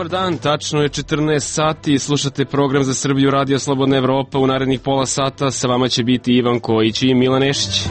Dobar dan, tačno je 14 sati, slušate program za Srbiju Radio Slobodna Evropa. U narednih pola sata sa vama će biti Ivan Kojić i Milan Nešić.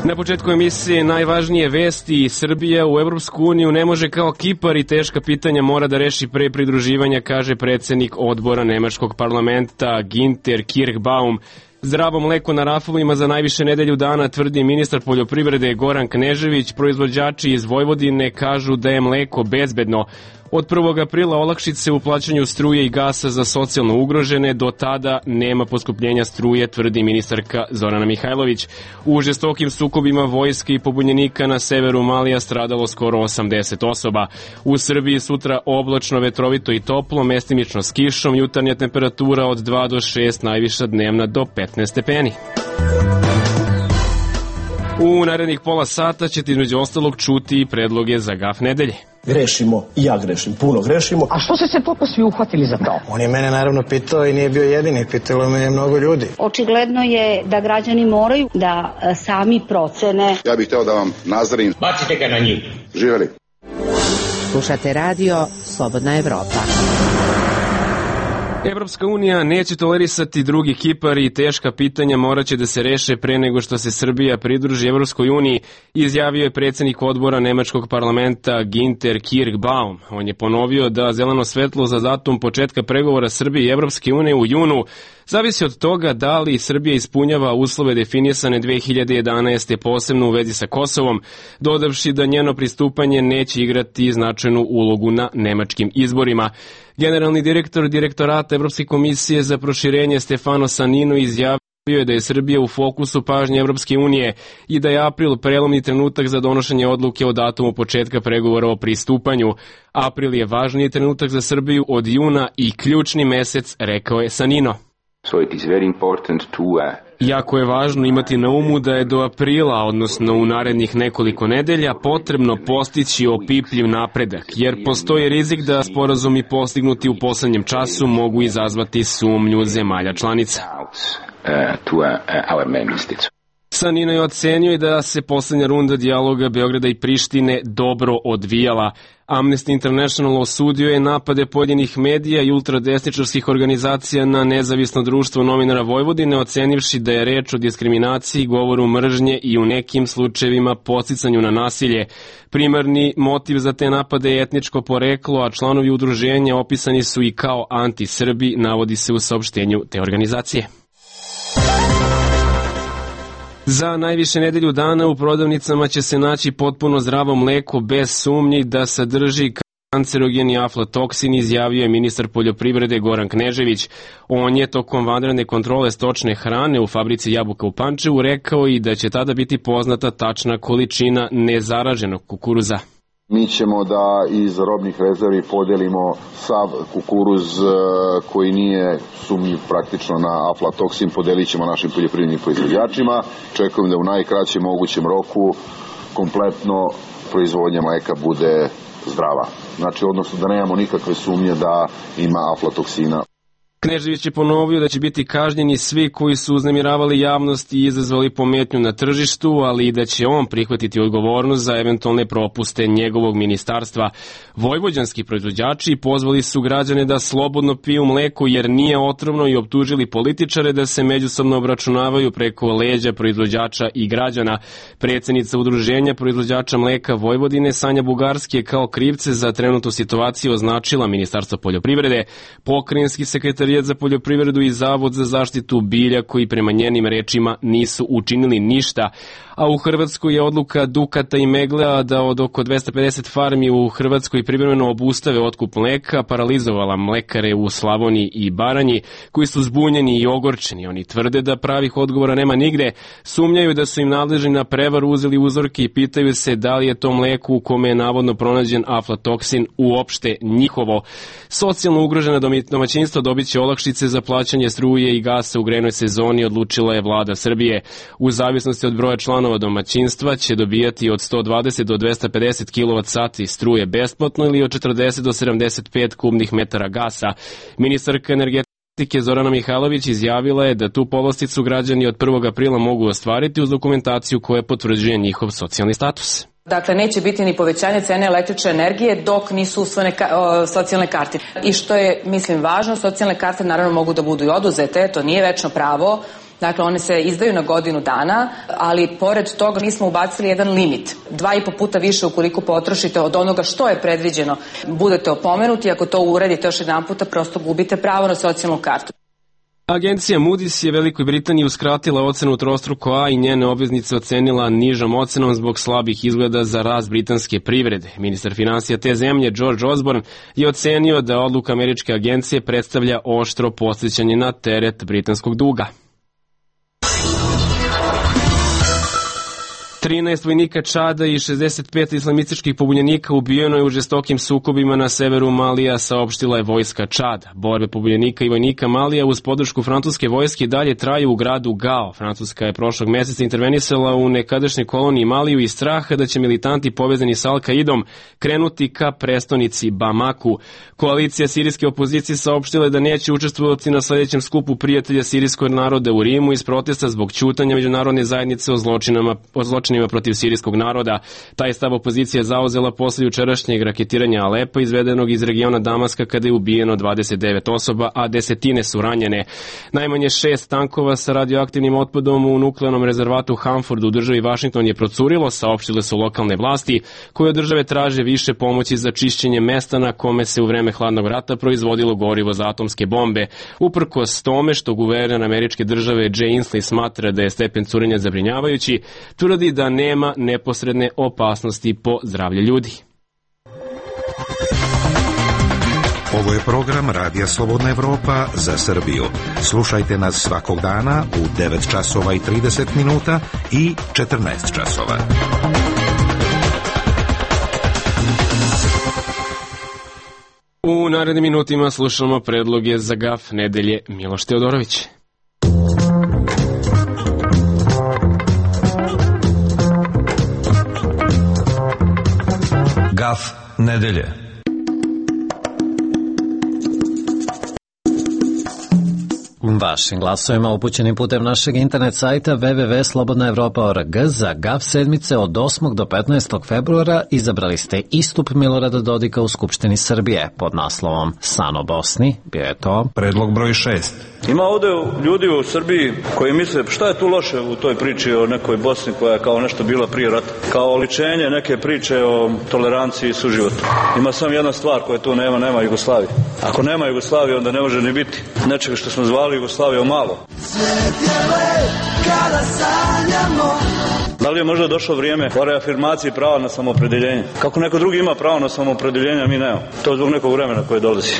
Na početku emisije najvažnije vesti. Srbija u Evropsku uniju ne može kao Kipar i teška pitanja mora da reši pre pridruživanja, kaže predsednik odbora Nemačkog parlamenta Ginter Kirchbaum. Zdravo mleko na rafovima za najviše nedelju dana, tvrdi ministar poljoprivrede Goran Knežević. Proizvođači iz Vojvodine kažu da je mleko bezbedno. Od 1. aprila olakšice u plaćanju struje i gasa za socijalno ugrožene, do tada nema poskupljenja struje, tvrdi ministarka Zorana Mihajlović. U žestokim sukobima vojske i pobunjenika na severu Malija stradalo skoro 80 osoba. U Srbiji sutra oblačno, vetrovito i toplo, mestimično s kišom, jutarnja temperatura od 2 do 6, najviša dnevna do 15 stepeni. U narednih pola sata ćete između ostalog čuti predloge za gaf nedelje. Grešimo, i ja grešim, puno grešimo. A što ste se toliko svi uhvatili za to? On je mene naravno pitao i nije bio jedini, pitalo me je mnogo ljudi. Očigledno je da građani moraju da sami procene. Ja bih hteo da vam nazdarim. Bacite ga na njih. Živeli. Slušate radio Slobodna Evropa. Evropska unija neće tolerisati drugi Kipar i teška pitanja moraće da se reše pre nego što se Srbija pridruži Evropskoj uniji, izjavio je predsednik odbora Nemačkog parlamenta Ginter Kirchbaum. On je ponovio da zeleno svetlo za datum početka pregovora Srbije i Evropske unije u junu zavisi od toga da li Srbija ispunjava uslove definisane 2011. posebno u vezi sa Kosovom, dodavši da njeno pristupanje neće igrati značajnu ulogu na nemačkim izborima. Generalni direktor Direktorata Evropske komisije za proširenje Stefano Sanino izjavio je da je Srbija u fokusu pažnje Evropske unije i da je april prelomni trenutak za donošenje odluke o datumu početka pregovora o pristupanju. April je važniji trenutak za Srbiju od juna i ključni mesec, rekao je Sanino. Jako je važno imati na umu da je do aprila, odnosno u narednih nekoliko nedelja, potrebno postići opipljiv napredak, jer postoji rizik da sporazumi postignuti u poslednjem času mogu izazvati sumnju zemalja članica. Sanino je ocenio i da se poslednja runda dijaloga Beograda i Prištine dobro odvijala. Amnesty International osudio je napade pojedinih medija i ultradesničarskih organizacija na nezavisno društvo novinara Vojvodine, ocenivši da je reč o diskriminaciji, govoru mržnje i u nekim slučajevima podsticanju na nasilje. Primarni motiv za te napade je etničko poreklo, a članovi udruženja opisani su i kao anti-Srbi, navodi se u saopštenju te organizacije. Za najviše nedelju dana u prodavnicama će se naći potpuno zdravo mleko bez sumnji da sadrži kancerogeni aflatoksin, izjavio je ministar poljoprivrede Goran Knežević. On je tokom vanredne kontrole stočne hrane u fabrici jabuka u Pančevu rekao i da će tada biti poznata tačna količina nezaraženog kukuruza. Mi ćemo da iz robnih rezervi podelimo sav kukuruz koji nije sumnjiv praktično na aflatoksin, podelit ćemo našim poljoprivrednim proizvođačima. Čekujem da u najkraćem mogućem roku kompletno proizvodnja mleka bude zdrava. Znači, odnosno da nemamo nikakve sumnje da ima aflatoksina. Knežević je ponovio da će biti kažnjeni svi koji su uznemiravali javnost i izazvali pometnju na tržištu, ali i da će on prihvatiti odgovornost za eventualne propuste njegovog ministarstva. Vojvođanski proizvođači pozvali su građane da slobodno piju mleko jer nije otrovno i optužili političare da se međusobno obračunavaju preko leđa proizvođača i građana. Predsednica udruženja proizvođača mleka Vojvodine Sanja Bugarski je kao krivce za trenutnu situaciju označila Ministarstvo poljoprivrede, pokrajinski sekretar za poljoprivredu i Zavod za zaštitu bilja koji prema njenim rečima nisu učinili ništa. A u Hrvatskoj je odluka Dukata i Meglea da od oko 250 farmi u Hrvatskoj privremeno obustave otkup mleka paralizovala mlekare u Slavoniji i Baranji koji su zbunjeni i ogorčeni. Oni tvrde da pravih odgovora nema nigde, sumnjaju da su im nadležni na prevaru uzeli uzorke i pitaju se da li je to mleko u kome je navodno pronađen aflatoksin uopšte njihovo. Socijalno ugrožena domaćinstva dobit će olakšice za plaćanje struje i gasa u grejnoj sezoni, odlučila je vlada Srbije. U zavisnosti od broja članova domaćinstva će dobijati od 120 do 250 kWh struje besplatno ili od 40 do 75 kubnih metara gasa. Ministarka energetike Zorana Mihajlović izjavila je da tu povlasticu građani od 1. aprila mogu ostvariti uz dokumentaciju koja potvrđuje njihov socijalni status. Dakle, neće biti ni povećanje cene električne energije dok nisu usvojene socijalne karte. I što je, mislim, važno, socijalne karte naravno mogu da budu i oduzete, to nije večno pravo. Dakle, one se izdaju na godinu dana, ali pored toga mi smo ubacili jedan limit. 2,5 puta više ukoliko potrošite od onoga što je predviđeno. Budete opomenuti, ako to uradite još jedan puta, prosto gubite pravo na socijalnu kartu. Agencija Moody's je Velikoj Britaniji uskratila ocenu trostruko A i njene obveznice ocenila nižom ocenom zbog slabih izgleda za rast britanske privrede. Ministar finansija te zemlje, George Osborne, je ocenio da odluka američke agencije predstavlja oštro podsjećanje na teret britanskog duga. 13 vojnika Čada i 65 islamističkih pobunjenika ubijeno je u žestokim sukobima na severu Malija, saopštila je vojska Čada. Borbe pobunjenika i vojnika Malija uz podršku francuske vojske dalje traju u gradu Gao. Francuska je prošlog meseca intervenisala u nekadašnjoj koloniji Maliju iz straha da će militanti povezani sa Al-Kaidom krenuti ka prestonici Bamaku. Koalicija sirijske opozicije saopštila je da neće učestvovati na sledećem skupu prijatelja sirijskog naroda u Rimu iz protesta zbog ćutanja međunarodne zajednice o zločinima protiv sirijskog naroda. Taj stav opozicija zauzela posle jučerašnjeg raketiranja Alepa izvedenog iz regiona Damaska kada je ubijeno 29 osoba, a desetine su ranjene. Najmanje 6 tankova sa radioaktivnim otpadom u nuklearnom rezervatu Hanford u državi Washington je procurilo, saopštile su lokalne vlasti, koje od države traže više pomoći za čišćenje mesta na kome se u vreme hladnog rata proizvodilo gorivo za atomske bombe. Uprkos tome što guverner američke države Jay Inslee smatra da je stepen curenja zabrinjavajući, tvrdi da nema neposredne opasnosti po zdravlje ljudi. Ovo je program Radija Slobodna Evropa za Srbiju. Slušajte nas svakog dana u 9 časova i 30 minuta i 14 časova. U narednim minutima slušamo predloge za gaf nedelje. Miloš Teodorović. Gaf nedelje. Vašim glasovima upućenim putem našeg internet sajta www.slobodnaevropa.org za GAF sedmice od 8. do 15. februara izabrali ste istup Milorada Dodika u Skupštini Srbije pod naslovom San o Bosni. Bio je to predlog broj 6. Ima ovde ljudi u Srbiji koji misle šta je tu loše u toj priči o nekoj Bosni koja je kao nešto bila prije rata, kao oličenje neke priče o toleranciji i suživotu. Ima samo jedna stvar koja tu nema Jugoslavije. Ako nema Jugoslavije, onda ne može ni biti nečega što smo zvali Jugoslavijom malo. Da li je možda došlo vrijeme o reafirmaciji prava na samoopredeljenje? Kako neko drugi ima pravo na samoopredeljenje, a mi nemamo. To je zbog nekog vremena koje dolazi.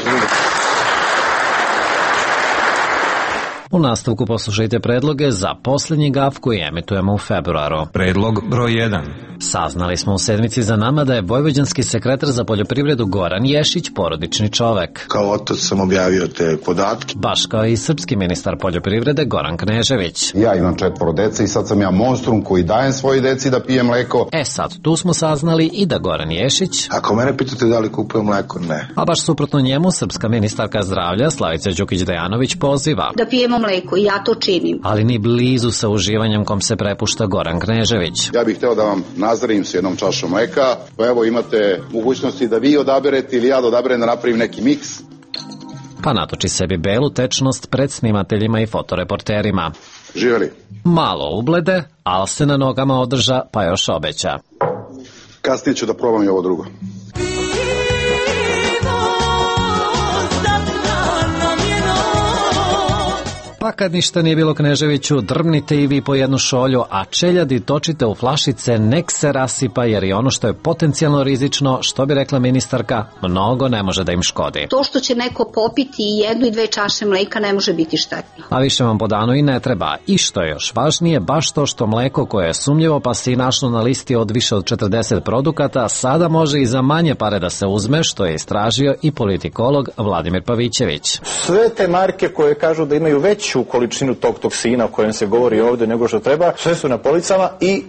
U nastavku poslušajte predloge za posljednji gaf koji emitujemo u februaru. Predlog broj 1. Saznali smo u sedmici za nama da je vojvođanski sekretar za poljoprivredu Goran Ješić porodični čovek. Kao otac sam objavio te podatke. Baš kao i srpski ministar poljoprivrede Goran Knežević. Ja imam 4 dece i sad sam ja monstrum koji dajem svoji deci da pije mleko. Sad tu smo saznali i da Goran Ješić... Ako mene pitate da li kupujem mleko, ne. A baš suprotno njemu, srpska ministarka zdravlja Slavica Đukić-Dejanović poziva da pijemo mleko i ja to činim. Ali ni blizu sa uživanjem kom se prepušta Goran Knežević. Ja bih hteo da vam nazdravim s jednom čašom mleka, pa evo imate mogućnosti da vi odaberete ili ja da odaberem da napravim neki miks. Pa natoči sebi belu tečnost pred snimateljima i fotoreporterima. Živeli. Malo ublede, ali se na nogama održa, pa još obeća. Kasnije ću da probam i ovo drugo. Pa kad ništa nije bilo Kneževiću, drmnite i vi po jednu šolju, a čeljadi točite u flašice, nek se rasipa, jer i ono što je potencijalno rizično, što bi rekla ministarka, mnogo ne može da im škodi. To što će neko popiti i 1 i 2 čaše mleka ne može biti štetno. A više vam po danu i ne treba. I što je još važnije, baš to što mleko koje je sumnjivo pa se i našlo na listi od više od 40 produkata, sada može i za manje pare da se uzme, što je istražio i politikolog Vladimir Pavićević. Sve te marke koje kažu da imaju veću veću količinu tog toksina o kojem se govori ovde nego što treba. Sve su na policama i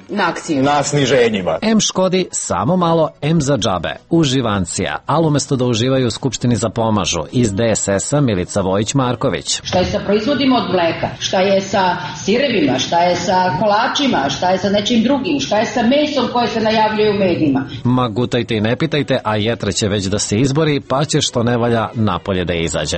na sniženjima. M škodi samo malo, M za džabe. Uživancija, ali umesto da uživaju u Skupštini za pomažu. Iz DSS-a Milica Vojić-Marković. Šta je sa proizvodima od mleka? Šta je sa sirevima? Šta je sa kolačima? Šta je sa nečim drugim? Šta je sa mesom koje se najavljuje u medijima? Ma gutajte i ne pitajte, a jetra će već da se izbori, pa će što ne valja napolje da izađe.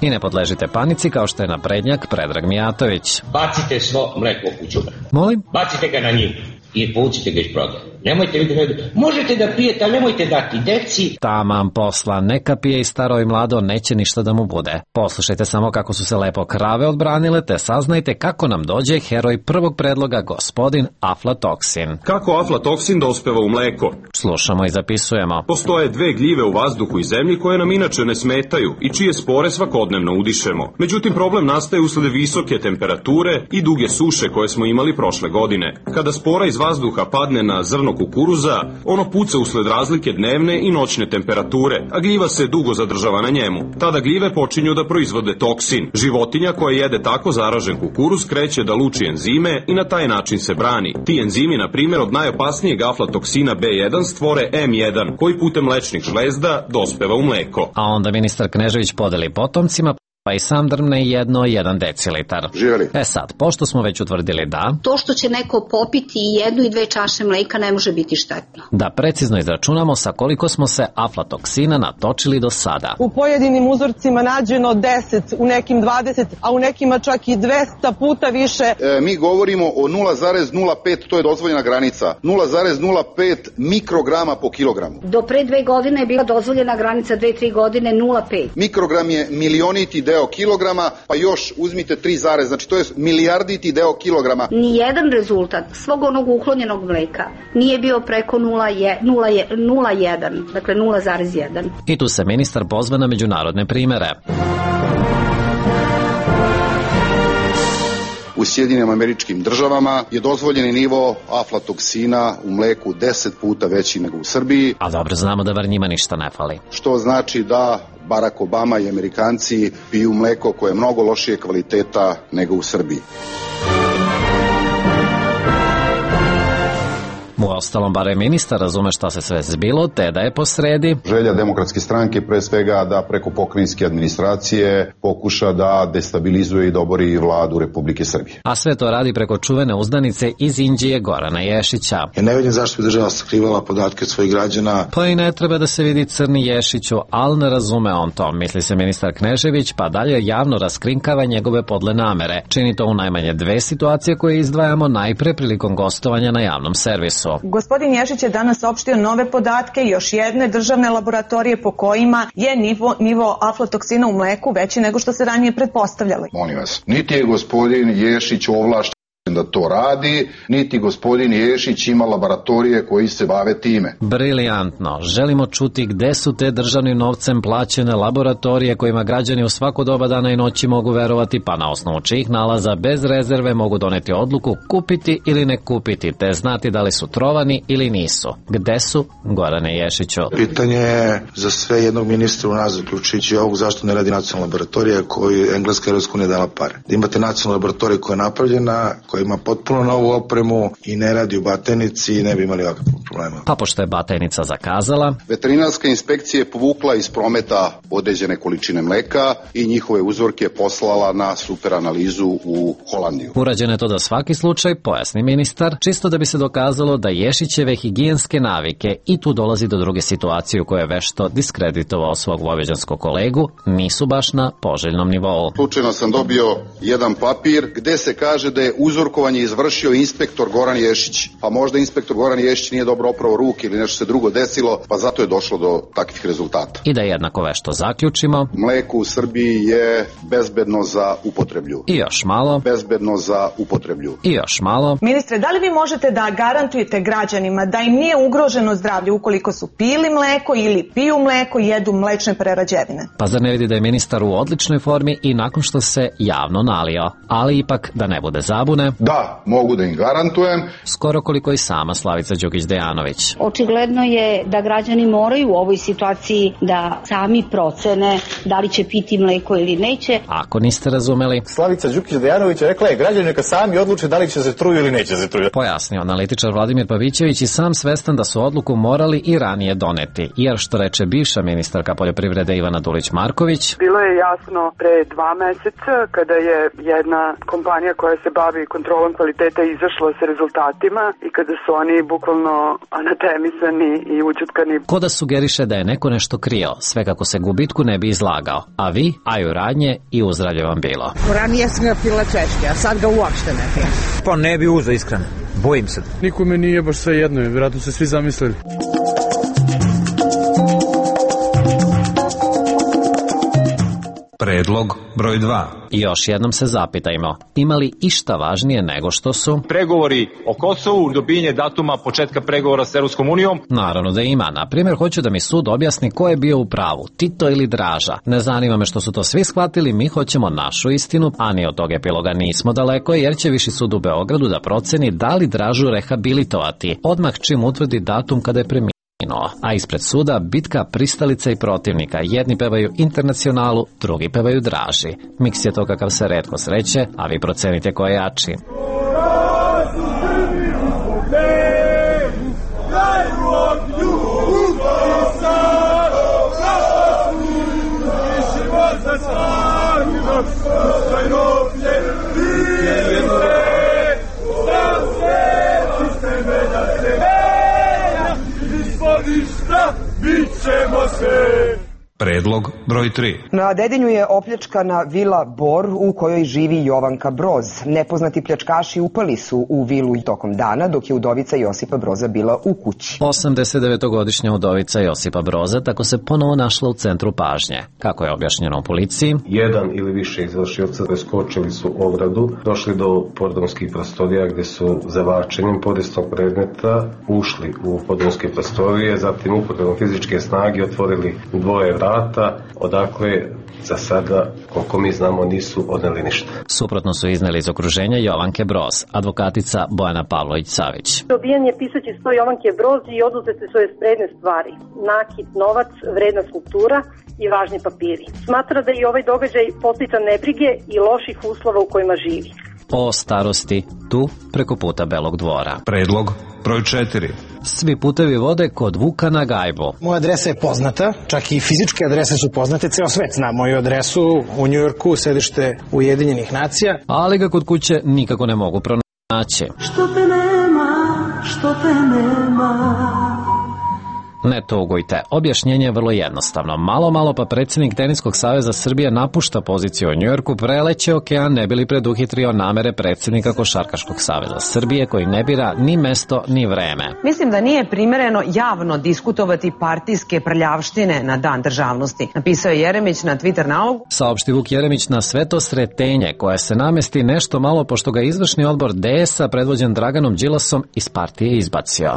I ne podležite panici kao što je naprednjak Predrag Mijatović. Bacite svo mleko u đubre. Molim? Bacite ga na njivu i povucite ga iz prodaje. Nemojte vidjeti, možete da pijete, ali nemojte dati deci. Taman posla, neka pije i staro i mlado, neće ništa da mu bude. Poslušajte samo kako su se lepo krave odbranile, te saznajte kako nam dođe heroj prvog predloga, gospodin aflatoksin. Kako aflatoksin dospeva u mleko? Slušamo i zapisujemo. Postoje dve gljive u vazduhu i zemlji koje nam inače ne smetaju i čije spore svakodnevno udišemo. Međutim, problem nastaje usled visoke temperature i duge suše koje smo imali prošle godine. Kada spora iz vazduha padne na zrno kukuruza, ono puca usled razlike dnevne i noćne temperature, a gljiva se dugo zadržava na njemu. Tada gljive počinju da proizvode toksin. Životinja koja jede tako zaražen kukuruz kreće da luči enzime i na taj način se brani. Ti enzimi, na primjer, od najopasnijeg aflatoksina B1 stvore M1, koji putem mlečnih žlezda dospeva u mleko. A onda ministar Knežević podeli potomcima, pa i sam drmne 1 decilitar. Živjeli. Sad, pošto smo već utvrdili da... To što će neko popiti 1 i 2 čaše mleka ne može biti štetno. Da precizno izračunamo sa koliko smo se aflatoksina natočili do sada. U pojedinim uzorcima nađeno 10, u nekim 20, a u nekima čak i 200 puta više. Mi govorimo o 0,05, to je dozvoljena granica. 0,05 mikrograma po kilogramu. Do pre 2 godine je bila dozvoljena granica 2-3 godine 0,5. Mikrogram je milioniti deo kilograma, pa još uzmite 3, znači to je milijarditi deo kilograma. Nijedan rezultat svog onog uklonjenog mleka nije bio preko 0,1, dakle 0,1. I tu se ministar pozva na međunarodne primere. U Sjedinjenim Američkim Državama je dozvoljeni nivo aflatoksina u mleku 10 puta veći nego u Srbiji. A dobro znamo da bar njima ništa ne fali. Što znači da Barack Obama i Amerikanci piju mleko koje je mnogo lošije kvaliteta nego u Srbiji. Uostalom, bare ministar razume šta se sve zbilo, te da je posredi. Želja Demokratske stranke pre svega da preko pokrajinske administracije pokuša da destabilizuje i dobori vladu Republike Srbije. A sve to radi preko čuvene uzdanice iz Inđije Gorana Ješića. Ja ne vidim zašto bi država sakrivala podatke od svojih građana. Pa i ne treba da se vidi crni Ješiću, ali ne razume on to, misli se ministar Knežević, pa dalje javno raskrinkava njegove podle namere. Čini to u najmanje 2 situacije koje izdvajamo, najpre prilikom gostovanja na javnom servisu. Gospodin Ješić je danas opštio nove podatke još jedne državne laboratorije po kojima je nivo aflatoksina u mleku veći nego što se ranije pretpostavljali. Molim vas, niti je gospodin Ješić ovlašten da to radi, niti gospodin Ješić ima laboratorije koji se bave time. Briljantno. Želimo čuti gde su te državnim novcem plaćene laboratorije kojima građani u svako doba dana i noći mogu verovati, pa na osnovu čijih nalaza bez rezerve mogu doneti odluku kupiti ili ne kupiti, te znati da li su trovani ili nisu. Gde su, Gorane Ješiću? Pitanje je za sve jednog ministra u nas, zaključujući ovog, zašto ne radi nacionalna laboratorija koju Engleska i Evropska unija dala pare. Da imate nacionalnu laboratoriju koja je napravljena, koja ima potpuno novu opremu i ne radi u Batajnici, ne bi imali ovakvog problema. Pa pošto je Batajnica zakazala, veterinarska inspekcija je povukla iz prometa određene količine mleka i njihove uzorke poslala na superanalizu u Holandiju. Urađeno je to da svaki slučaj, pojasni ministar, čisto da bi se dokazalo da Ješićeve higijenske navike, i tu dolazi do druge situacije u kojoj je vešto diskreditovao svog vojvođanskog kolegu, nisu baš na poželjnom nivou. Slučajno sam dobio jedan papir gde se kaže da je uzorkovanje izvršio inspektor Goran Ješić. Pa možda inspektor Goran Ješić nije dobro oprao ruke ili nešto se drugo desilo, pa zato je došlo do takvih rezultata. I da jednako vešto zaključimo. Mleko u Srbiji je bezbedno za upotreblju. I još malo. Bezbedno za upotreblju. I još malo. Ministre, da li vi možete da garantujete građanima da im nije ugroženo zdravlje ukoliko su pili mleko ili piju mleko i jedu mlečne prerađevine? Pa zar ne vidi da je ministar u odličnoj formi i nakon što se javno nalio? Ali ipak, da ne bude zabune, tome? Da, mogu da im garantujem. Skoro koliko i sama Slavica Đukić Dejanović. Očigledno je da građani moraju u ovoj situaciji da sami procene da li će piti mleko ili neće. Ako niste razumeli, Slavica Đukić Dejanović rekla je građani neka sami odluče da li će se truju ili neće se truju. Pojasnio analitičar Vladimir Pavićević i sam svestan da su odluku morali i ranije doneti, jer što reče bivša ministarka poljoprivrede Ivana Dulić-Marković. Bilo je jasno pre 2 meseca kada je jedna kompanija koja se bavi kontrolom kvaliteta izašla sa rezultatima i kada su oni bukvalno anatemisani i ućutkani. Ko da sugeriše da je neko nešto krio, sve kako se gubitku ne bi izlagao, a vi, aju radnje i uzdravlje vam bilo. Ranije sam ga pila češke, a sad ga uopšte ne pijem. Pa ne bi uzeo iskreno, bojim se. Nikome nije baš sve jedno, vjerojatno se svi zamislili. Predlog broj 2. I još jednom se zapitajmo, ima li išta važnije nego što su pregovori o Kosovu, dobijanje datuma početka pregovora s Europskom unijom? Naravno da ima. Na primjer, hoću da mi sud objasni ko je bio u pravu, Tito ili Draža. Ne zanima me što su to svi shvatili, mi hoćemo našu istinu, a ni od tog epiloga nismo daleko, jer će Viši sud u Beogradu da proceni da li Dražu rehabilitovati, odmah čim utvrdi datum kada je preminuo. A ispred suda bitka pristalica i protivnika. Jedni pevaju Internacionalu, drugi pevaju Draži. Miks je to kakav se retko sreće, a vi procenite ko je jači. Predlog broj 3. Na Dedinju je opljačkana vila Bor u kojoj živi Jovanka Broz. Nepoznati pljačkaši upali su u vilu tokom dana dok je udovica Josipa Broza bila u kući. 89-godišnja udovica Josipa Broza tako se ponovo našla u centru pažnje. Kako je objašnjeno u policiji? Jedan ili više izvršioca preskočili su ogradu, došli do podrumskih prostorija gde su zavačenjem podesnog predmeta ušli u podrumske prostorije, zatim upotrebom fizičke snage otvorili dvoje vrata, odakle za sada, koliko mi znamo, nisu odneli ništa. Suprotno su izneli iz okruženja Jovanke Broz, advokatica Bojana Pavlović-Savić. Dobijan je pisaći sto Jovanke Broz i oduzete su joj spredne stvari, nakit, novac, vredna skulptura i važni papiri. Smatra da je ovaj događaj posljedica nebrige i loših uslova u kojima živi. O starosti, tu preko puta Belog dvora. Predlog broj 4. Svi putevi vode kod Vuka na gajbu. Moja adresa je poznata, čak i fizičke adrese su poznate, ceo svet zna moju adresu u Njujorku, sedište Ujedinjenih nacija. Ali ga kod kuće nikako ne mogu pronaći. Što te nema, što te nema. Ne tugujte, objašnjenje je vrlo jednostavno. Malo pa predsjednik Teniskog saveza Srbije napušta poziciju u Njujorku, preleće okean ne bi li preduhitrio namere predsjednika Košarkaškog saveza Srbije koji ne bira ni mesto ni vreme. Mislim da nije primereno javno diskutovati partijske prljavštine na Dan državnosti, napisao je Jeremić na Twitter nalogu. Saopšti Vuk Jeremić na sve to sretenje koje se namesti nešto malo pošto ga izvršni odbor DS-a predvođen Draganom Đilasom iz partije izbacio.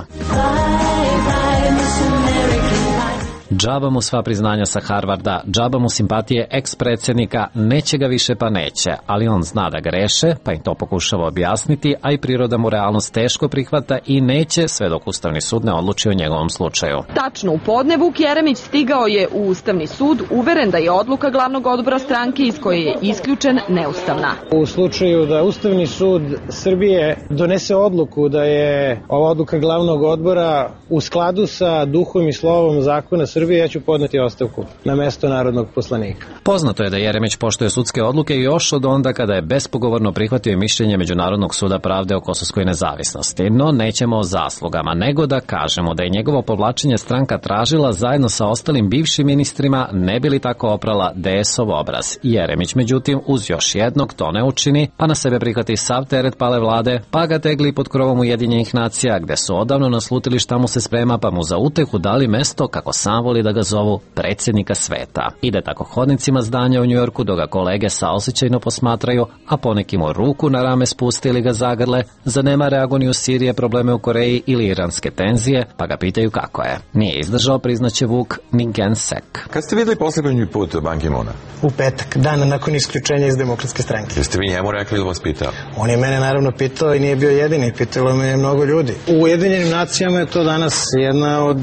Džaba mu sva priznanja sa Harvarda, džaba mu simpatije eks-predsjednika, neće ga više pa neće, ali on zna da greše, pa im to pokušava objasniti, a i priroda mu realnost teško prihvata i neće sve dok Ustavni sud ne odluči o njegovom slučaju. Tačno u podne Vuk Jeremić stigao je u Ustavni sud, uveren da je odluka glavnog odbora stranke iz koje je isključen neustavna. U slučaju da Ustavni sud Srbije donese odluku da je ova odluka glavnog odbora u skladu sa duhom i slovom zakona Srbije, ja ću podneti ostavku na mesto narodnog poslanika. Poznato je da Jeremić poštuje sudske odluke još od onda kada je bespogovorno prihvatio mišljenje Međunarodnog suda pravde o kosovskoj nezavisnosti. No nećemo o zaslugama, nego da kažemo da je njegovo povlačenje stranka tražila zajedno sa ostalim bivšim ministrima, ne bi li tako oprala DS-ov obraz. Jeremić, međutim, uz još jednog to ne učini, pa na sebe prihvati sav teret pale vlade, pa ga tegli pod krovom Ujedinjenih nacija, gde su odavno naslutili šta mu se sprema, pa mu za utehu dali mesto, kako sam navoli da ga zovu predsjednika sveta. Ide tako hodnicima zdanja u Njujorku dok ga kolege saosećajno posmatraju, a poneki mu ruku na rame spuste ili ga zagrle, zanemare agoniju Sirije, probleme u Koreji ili iranske tenzije, pa ga pitaju kako je. Nije izdržao, priznaće Vuk, ni Gen Sek. Kad ste videli posljednji put Ban Ki-moona? U petak, dan nakon isključenja iz Demokratske stranke. Jeste vi njemu rekli ili vas pitao? On je mene naravno pitao i nije bio jedini, pitalo me je mnogo ljudi. U Ujedinjenim nacijama je to danas jedna od,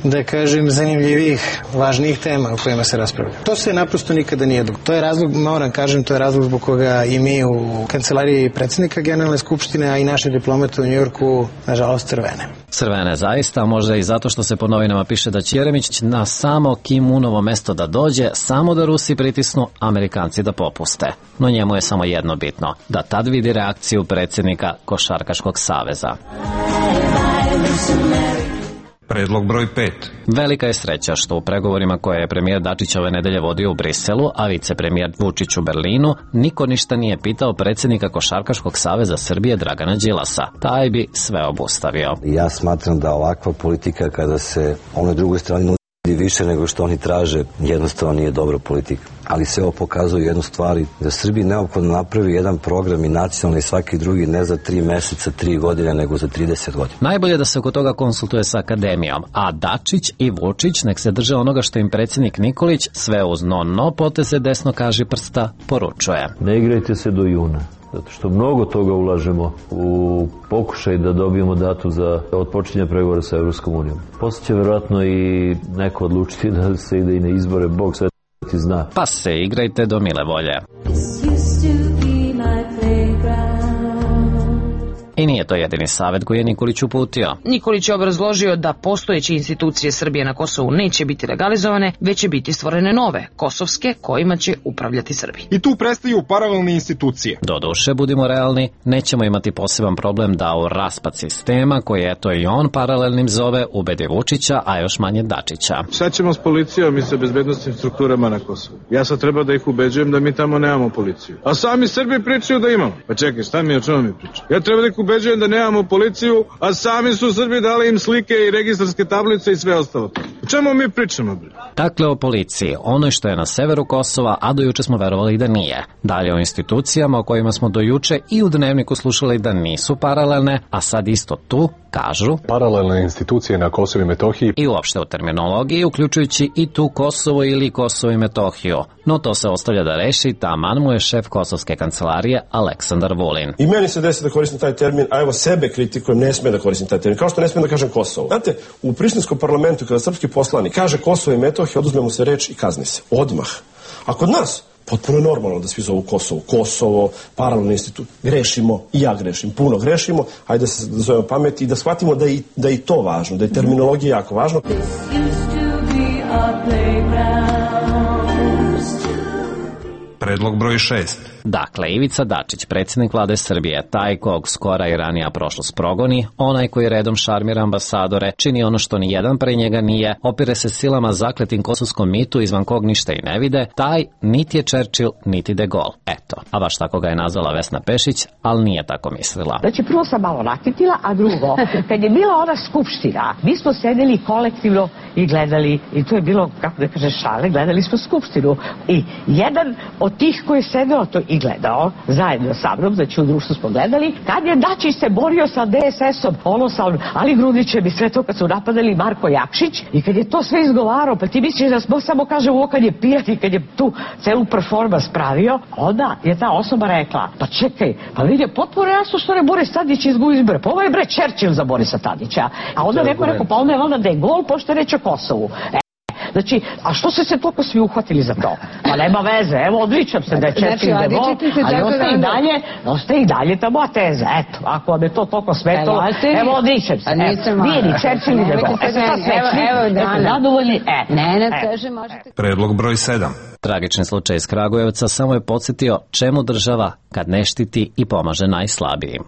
da kažem, zanimljivih, važnijih tema o kojima se raspravlja. To se naprosto nikada nije dogodilo. To je razlog, moram kažem, to je razlog zbog koga i mi u kancelariji predsjednika Generalne skupštine, a i naše diplomate u Njujorku, nažalost, crvene. Crvene zaista, možda i zato što se po novinama piše da će Jeremić na samo Kim-unovo mesto da dođe, samo da Rusi pritisnu, Amerikanci da popuste. No njemu je samo jedno bitno, da tad vidi reakciju predsjednika Košarkaškog saveza. Predlog broj 5. Velika je sreća što u pregovorima koje je premijer Dačić ove nedelje vodio u Briselu, a vicepremijer Vučić u Berlinu, niko ništa nije pitao predsjednika Košarkaškog saveza Srbije Dragana Đilasa. Taj bi sve obustavio. Ja smatram da ovakva politika kada se onoj drugoj strani nudi više nego što oni traže, jednostavno nije dobra politika. Ali sve ovo pokazuje jednu stvar, da Srbiji neophodno napravi jedan program i nacionalni i svaki drugi, ne za 3 meseca, 3 godine, nego za 30 godina. Najbolje da se oko toga konsultuje sa akademijom, a Dačić i Vučić nek se drže onoga što im predsjednik Nikolić sve uz no poteze desno kaži prsta poručuje. Ne igrajte se do juna, zato što mnogo toga ulažemo u pokušaj da dobijemo datu za otpočinje pregovora sa Evropskom unijom. Poslije će verovatno i neko odlučiti da se ide i na izbore, Bog sve ti zna. Pa se igrajte do mile volje. I nije to jedini savjet koji je Nikolić uputio. Nikolić je obrazložio da postojeće institucije Srbije na Kosovu neće biti legalizovane, već će biti stvorene nove, kosovske, kojima će upravljati Srbi. I tu prestaju paralelne institucije. Doduše, budimo realni, nećemo imati poseban problem da u raspad sistema, koji eto i on paralelnim zove, ubedi Vučića, a još manje Dačića. Šta ćemo s policijom i sa bezbednostnim strukturama na Kosovu? Ja sad treba da ih ubeđujem da mi tamo nemamo policiju. A sami Srbi pričaju da imamo. Pa čekaj, šta mi, o čemu mi pričaju? Ja treba da ih ubeđujem da nemamo policiju, a sami su Srbi dali im slike i registarske tablice i sve ostalo. O čemu mi pričamo, bre? Dakle, o policiji, onoj što je na severu Kosova, a do juče smo verovali da nije. Dalje o institucijama o kojima smo do juče i u Dnevniku slušali da nisu paralelne, a sad isto tu kažu paralelne institucije na Kosovu i Metohiji i uopšte u terminologiji, uključujući i tu Kosovo ili Kosovo i Metohiju. No to se ostavlja da reši, taman mu je šef kosovske kancelarije Aleksandar Vulin. I meni se desi da koristim taj termin, a evo sebe kritikujem, ne smije da koristim taj termin, kao što ne smijem da kažem Kosovo. Znate, u Prištinskom parlamentu kada srpski poslanik kaže Kosovo i Metohija, oduzme mu se reč i kazni se. Odmah. A kod nas potpuno je normalno da svi zovu Kosovo. Kosovo, paralelni institut. Grešimo, i ja grešim, puno grešimo. Ajde da se zovemo pameti i da shvatimo da je i to važno, da je terminologija jako važno. Predlog broj 6. Dakle, Ivica Dačić, predsjednik vlade Srbije, taj kog skora i ranija prošlost progoni, onaj koji redom šarmira ambasadore, čini ono što ni jedan pre njega nije, opire se silama zakletim kosovskom mitu izvan kog ništa i ne vide, taj niti je Churchill, niti de Gaulle. Eto, a baš tako ga je nazvala Vesna Pešić, ali nije tako mislila. Znači, prvo sam malo nakitila, a drugo, kad je bila ona skupština, mi smo sedeli kolektivno i gledali, i to je bilo, kako da kaže, šale, gledali smo skupštinu. I jedan od tih koji je sedeo to i gledao, zajedno sa mnom, znači u društvu smo gledali, kad je Dačić se borio sa DSS-om, ono sa Ali Grudićem i sve to kad su napadali Marko Jakšić, i kad je to sve izgovarao, pa ti misliš da smo samo kaže ovo kad je pijat i kad je tu celu performans pravio, onda je ta osoba rekla, pa čekaj, pa vidi, potpuno jasno što ne Boris Tadić izgubi izbore, pa ovo je bre Churchill za Borisa Tadića, a onda neko rekao, pa onda je valjda de Gaulle, pošto je reč o Kosovu. Znači, a što su se toliko svi uhvatili za to? Pa nema veze, evo odličam se da je Churchill de Gaulle, ali ostaje i dalje ta moja teza. Eto, ako vam je to toliko smetalo, evo odličam se. Nije ni Churchill ni de Gaulle. Evo, zadovoljni, Predlog broj 7. Tragični slučaj iz Kragujevca samo je podsjetio čemu država kad ne štiti i pomaže najslabijim.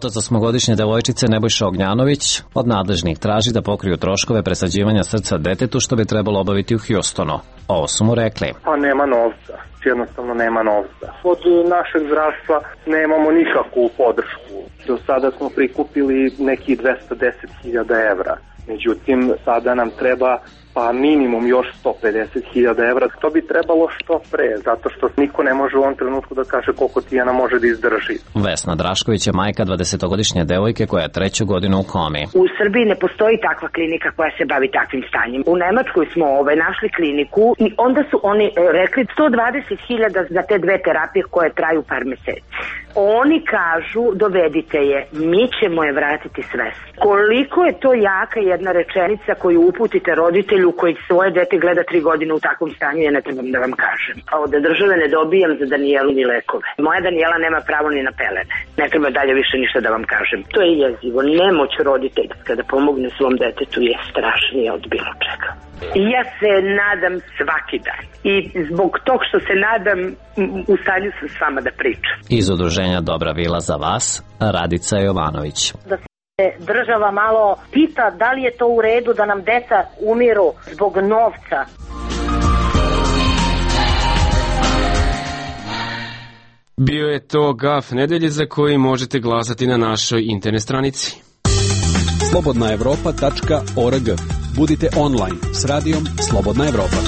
Otac osmogodišnje devojčice Nebojša Ognjanović od nadležnih traži da pokriju troškove presađivanja srca detetu što bi trebalo obaviti u Hjustonu. Ovo su mu rekli. Pa nema novca, jednostavno nema novca. Od našeg zdravstva nemamo nikakvu podršku. Do sada smo prikupili neki 210.000 evra. Međutim, sada nam treba pa minimum još 150.000 evra. To bi trebalo što pre, zato što niko ne može u ovom trenutku da kaže koliko Tijana može da izdrži. Vesna Drašković je majka 20-godišnje devojke koja je 3. godinu u komi. U Srbiji ne postoji takva klinika koja se bavi takvim stanjem. U Nemačkoj smo našli kliniku i onda su oni rekli 120.000 za te 2 terapije koje traju par meseci. Oni kažu dovedite je, mi ćemo je vratiti svest. Koliko je to jaka jedna rečenica koju uputite roditelju koji svoje dete gleda 3 godine u takvom stanju, ja ne trebam da vam kažem. A od države ne dobijam za Danijelu ni lekove. Moja Danijela nema pravo ni na pelene. Ne treba dalje više ništa da vam kažem. To je jezivo. Nemoć roditeljska da pomogne svom detetu je strašnije od bilo čega. Ja se nadam svaki dan. I zbog tog što se nadam, u stanju sam s vama da pričam. Iz udruženja Dobra vila za vas, Radica Jovanović. Da se država malo pita da li je to u redu da nam deca umiru zbog novca. Bio je to Gaf nedelje za koji možete glasati na našoj internet stranici. slobodnaevropa.org. Budite online s radijom Slobodna Evropa.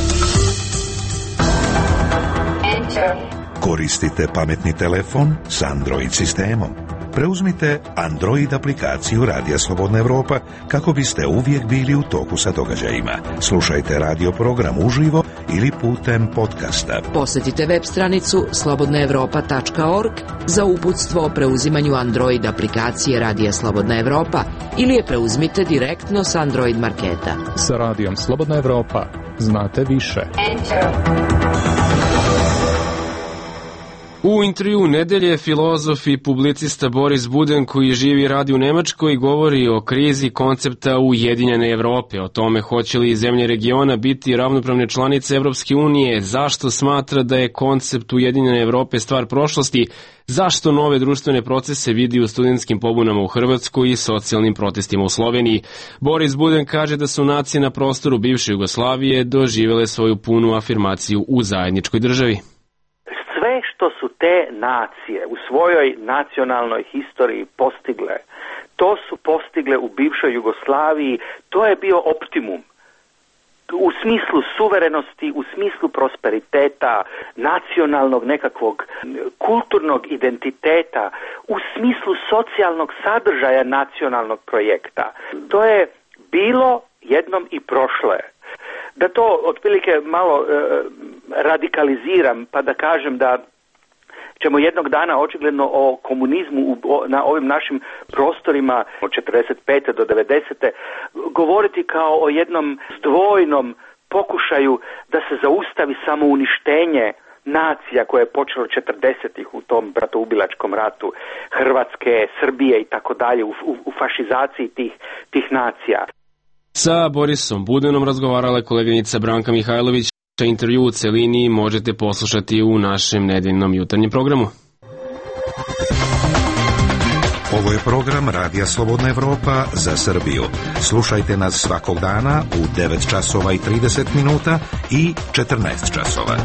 Koristite pametni telefon s Android sistemom. Preuzmite Android aplikaciju Radija Slobodna Evropa kako biste uvijek bili u toku sa događajima. Slušajte radio program uživo ili putem podcasta. Posjetite web stranicu slobodnaevropa.org za uputstvo o preuzimanju Android aplikacije Radija Slobodna Evropa ili je preuzmite direktno s Android marketa. Sa Radijom Slobodna Evropa znate više. U intervju nedelje filozof i publicista Boris Buden, koji živi i radi u Nemačkoj, govori o krizi koncepta Ujedinjene Evrope, o tome hoće li zemlje regiona biti ravnopravne članice Evropske unije, zašto smatra da je koncept Ujedinjene Evrope stvar prošlosti, zašto nove društvene procese vidi u studentskim pobunama u Hrvatskoj i socijalnim protestima u Sloveniji. Boris Buden kaže da su nacije na prostoru bivše Jugoslavije doživjele svoju punu afirmaciju u zajedničkoj državi. Sve što su te nacije u svojoj nacionalnoj historiji postigle, to su postigle u bivšoj Jugoslaviji, to je bio optimum. U smislu suverenosti, u smislu prosperiteta, nacionalnog nekakvog kulturnog identiteta, u smislu socijalnog sadržaja nacionalnog projekta. To je bilo jednom i prošlo je. Da to otprilike malo radikaliziram pa da kažem da ćemo jednog dana očigledno o komunizmu na ovim našim prostorima od 45. do 90. govoriti kao o jednom zdvojnom pokušaju da se zaustavi samouništenje nacija koje je počelo 40-ih u tom bratoubilačkom ratu Hrvatske, Srbije i tako dalje u fašizaciji tih nacija. Sa Borisom Budenom razgovarala je koleginica Branka Mihajlović. Intervju u celini možete poslušati u našem nedeljnom jutarnjem programu. Ovo je program Radija Slobodna Evropa za Srbiju. Slušajte nas svakog dana u 9 časova i 30 minuta i 14 časova.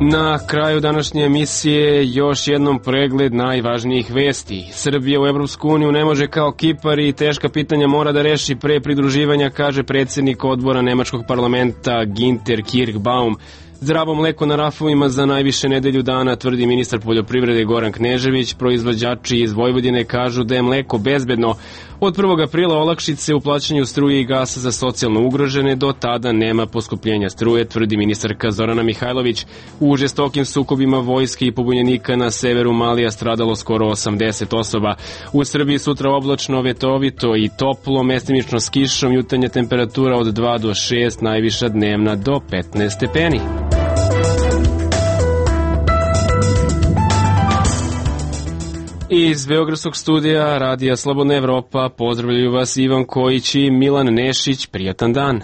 Na kraju današnje emisije još jednom pregled najvažnijih vesti. Srbija u Evropsku uniju ne može kao Kipar i teška pitanja mora da reši pre pridruživanja, kaže predsjednik odbora Nemačkog parlamenta Ginter Kirchbaum. Zdravo mleko na rafovima za najviše nedelju dana, tvrdi ministar poljoprivrede Goran Knežević. Proizvođači iz Vojvodine kažu da je mleko bezbedno. Od 1. aprila olakšice u plaćanju struje i gasa za socijalno ugrožene, do tada nema poskupljenja struje, tvrdi ministarka Zorana Mihajlović. U žestokim sukobima vojske i pobunjenika na severu Malija stradalo skoro 80 osoba. U Srbiji sutra oblačno, vetovito i toplo, mestimično s kišom, jutarnja temperatura od 2 do 6, najviša dnevna do 15 stepeni. Iz Beogradskog studija Radija Slobodna Evropa pozdravljaju vas Ivan Kojić i Milan Nešić. Prijatan dan.